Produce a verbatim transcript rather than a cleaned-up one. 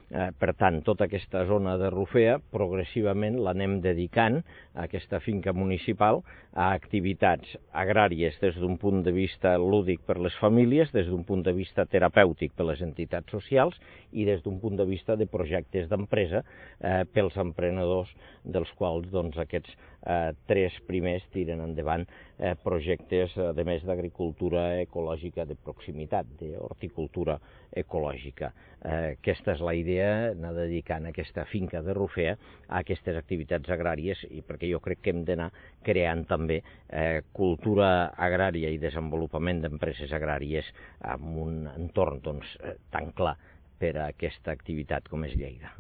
Eh, per tant, tota aquesta zona de Rufea progressivament l'anem dedicant a aquesta finca municipal a activitats agràries des d'un punt de vista lúdic per les famílies, des d'un punt de vista terapèutic per les entitats socials i des d'un punt de vista de projectes d'empresa eh, pels emprenedors, dels quals doncs, aquests eh, tres primers tiren endavant eh, projectes, a més d'agricultura ecològica de proximitat, d'horticultura ecològica. Eh, aquesta és la idea, anar dedicant aquesta finca de Rufea a aquestes activitats agràries, i perquè jo crec que hem d'anar creant també eh, cultura agrària i desenvolupament d'empreses agràries en un entorn doncs, tan clar per a aquesta activitat com és Lleida.